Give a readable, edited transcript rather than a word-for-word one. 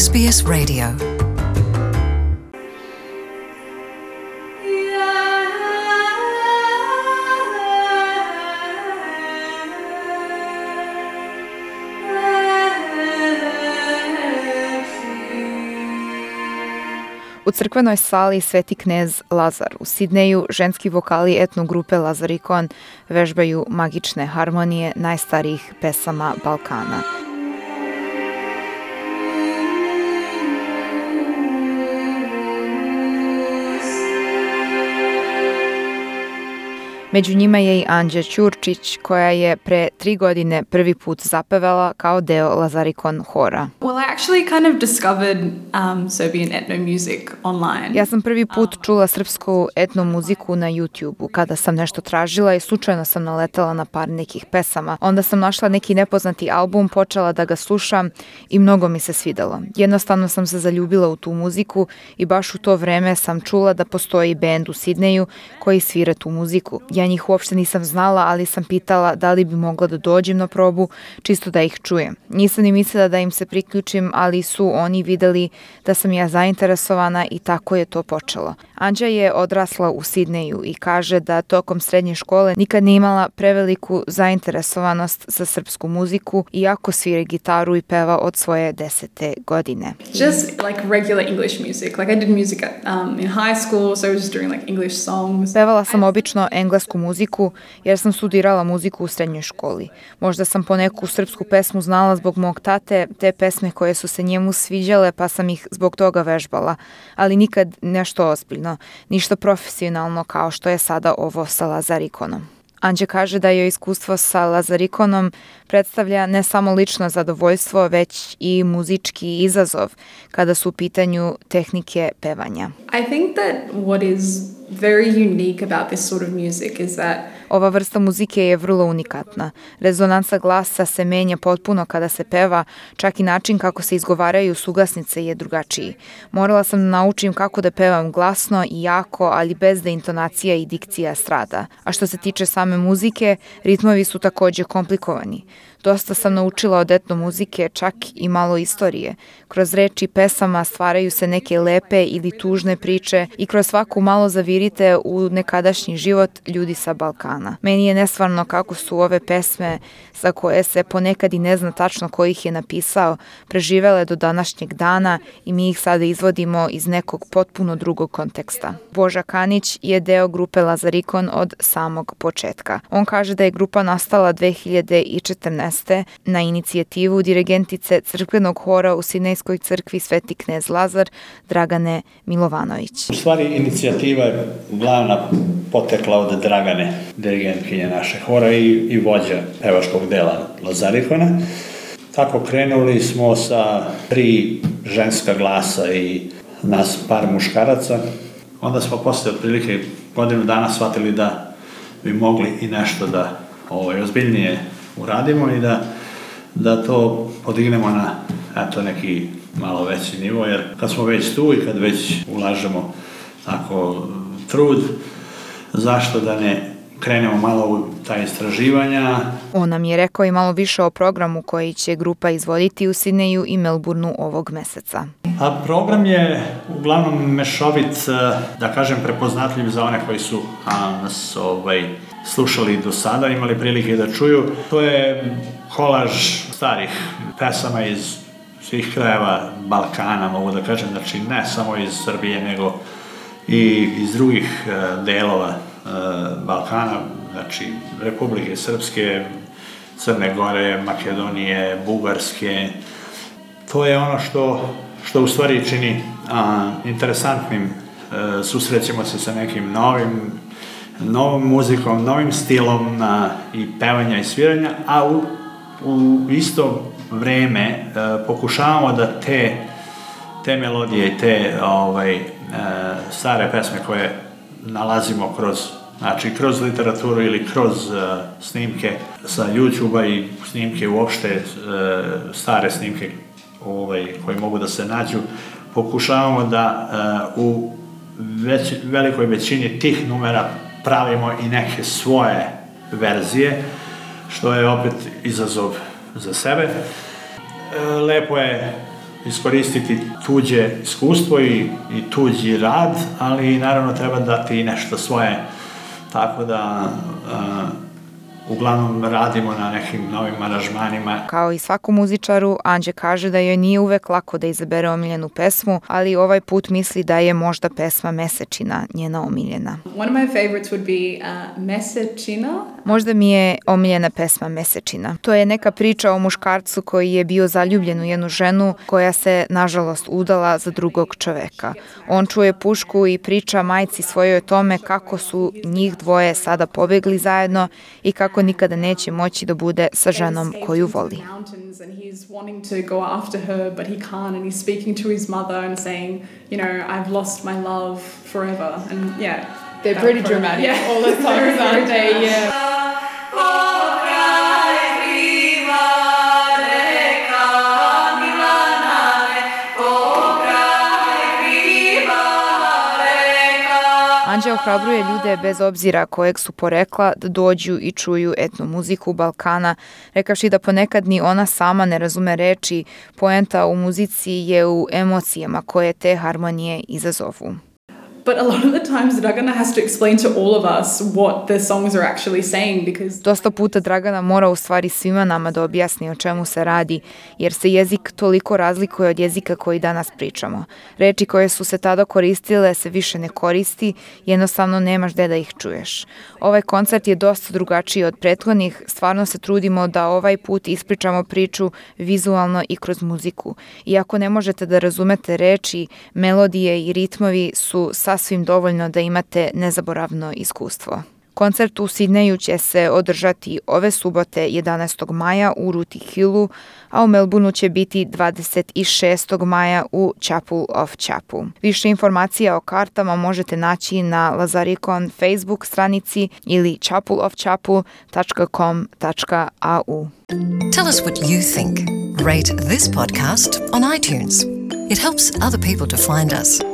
SBS Radio. U crkvenoj sali Sveti knez Lazar u Sidneju ženski vokali etno grupe Lazarikon vežbaju magične harmonije najstarijih pesama Balkana. Među njima je i Anđa Ćurčić, koja je pre 3 godine prvi put zapevala kao deo Lazarikon hora. Well, I actually kind of discovered Serbian ethno music online. Ja sam prvi put čula srpsku etno muziku na YouTube-u kada sam nešto tražila i slučajno sam naletala na par nekih pesama. Onda sam našla neki nepoznati album, počela da ga slušam i mnogo mi se svidelo. Jednostavno sam se zaljubila u tu muziku i baš u to vreme sam čula da postoji bend u Sidneju koji svira tu muziku. Ja njih uopšte nisam znala, ali sam pitala da li bi mogla da dođem na probu, čisto da ih čujem. Nisam ni mislila da im se priključim, ali su oni videli da sam ja zainteresovana i tako je to počelo. Anđa je odrasla u Sidneju i kaže da tokom srednje škole nikad nije imala preveliku zainteresovanost za srpsku muziku, iako svira gitaru i peva od svoje 10. godine. Just like regular English music. Like I did music in high school, so I was just doing like English songs. Pevala sam obično englesku muziku jer sam studirala muziku u srednjoj školi. Možda sam po neku srpsku pesmu znala zbog mog tate, te pesme koje su se njemu sviđale, pa sam ih zbog toga vežbala, ali nikad nešto ozbiljno, ništa profesionalno kao što je sada ovo sa Lazarikonom. Anđa kaže da joj iskustvo sa Lazarikonom predstavlja ne samo lično zadovoljstvo, već i muzički izazov kada su u pitanju tehnike pevanja. I think that what is very unique about this sort of music is that Ova vrsta muzike je vrlo unikatna. Rezonansa glasa se menja potpuno kada se peva, čak i način kako se izgovaraju suglasnice je drugačiji. Morala sam da naučim kako da pevam glasno i jako, ali bez da intonacija i dikcija strada. A što se tiče same muzike, ritmovi su takođe komplikovani. Dosta sam naučila od etno muzike, čak i malo istorije. Kroz reči pesama stvaraju se neke lepe ili tužne priče i kroz svaku malo zavirite u nekadašnji život ljudi sa Balkana. Meni je nesvarno kako su ove pesme, za koje se ponekad i ne zna tačno ko ih je napisao, preživele do današnjeg dana i mi ih sada izvodimo iz nekog potpuno drugog konteksta. Boža Kanić je deo grupe Lazarikon od samog početka. On kaže da je grupa nastala 2014. na inicijativu dirigentice crkvenog hora u Sidnejskoj crkvi Sveti knez Lazar, Dragane Milovanović. U stvari, inicijativa je glavna potekla od Dragane, dirigentkinje naše hora i vođa pevačkog dela Lazarikona. Tako krenuli smo sa 3 ženska glasa i nas par muškaraca. Onda smo posle otprilike godinu dana shvatili da bi mogli i nešto da ozbiljnije uradimo i da to podignemo na neki malo veći nivo, jer kad smo već tu i kad već ulažemo tako trud, zašto da ne krenemo malo u ta istraživanja. On nam je rekao i malo više o programu koji će grupa izvoditi u Sidneju i Melbourneu ovog meseca. A program je uglavnom mešovit, da kažem, prepoznatljiv za one koji su nas slušali do sada, imali prilike da čuju. To je kolaž starih pesama iz svih krajeva Balkana, mogu da kažem, znači ne samo iz Srbije, nego i iz drugih delova Balkana, znači Republike Srpske, Crne Gore, Makedonije, Bugarske. To je ono što u stvari čini interesantnim. Susrećemo se sa nekim novom muzikom, novim stilom i pevanja i sviranja, a u isto vreme pokušavamo da te melodije i te stare pesme koje nalazimo kroz literaturu ili kroz snimke sa YouTube-a i snimke uopšte, stare snimke koje mogu da se nađu, pokušavamo da u velikoj većini tih numera pravimo i neke svoje verzije, što je opet izazov za sebe. Lepo je iskoristiti tuđe iskustvo i tuđi rad, ali naravno treba dati i nešto svoje. Tako da uglavnom radimo na nekim novim aranžmanima. Kao i svakom muzičaru, Anđe kaže da joj nije uvek lako da izabere omiljenu pesmu, ali ovaj put misli da je možda pesma Mesečina njena omiljena. One of my favorites would be Mesečina. Možda mi je omiljena pesma Mesečina. To je neka priča o muškarcu koji je bio zaljubljen u jednu ženu koja se, nažalost, udala za drugog čoveka. On čuje pušku i priča majci svojoj o tome kako su njih dvoje sada pobegli zajedno i kako nikada neće moći da bude sa ženom koju voli. They're pretty dramatic. Yeah. All the songs, aren't they? Yeah. Anđe ohrabruje ljude bez obzira kojeg su porekla da dođu i čuju etno muziku Balkana, rekavši da ponekad ni ona sama ne razume reči, poenta u muzici je u emocijama koje te harmonije izazovu. But a lot of the times Dragana has to explain to all of us what the songs are actually saying because Dosta puta Dragana mora u stvari svima nama da objasni o čemu se radi, jer se jezik toliko razlikuje od jezika koji danas pričamo. Reči koje su se tada koristile se više ne koristi, jednostavno nemaš gde da ih čuješ. Ovaj koncert je dosta drugačiji od prethodnih, stvarno se trudimo da ovaj put ispričamo priču vizualno i kroz muziku. Iako ne možete da razumete reči, melodije i ritmovi su sasvim dovoljno da imate nezaboravno iskustvo. Koncert u Sidneju će se održati ove subote 11. maja u Ruti Hillu, a u Melbourneu će biti 26. maja u Chapel of Chapu. Više informacija o kartama možete naći na Lazarikon Facebook stranici ili chapelofchapu.com.au. Tell us what you think. Rate this podcast on iTunes. It helps other people to find us.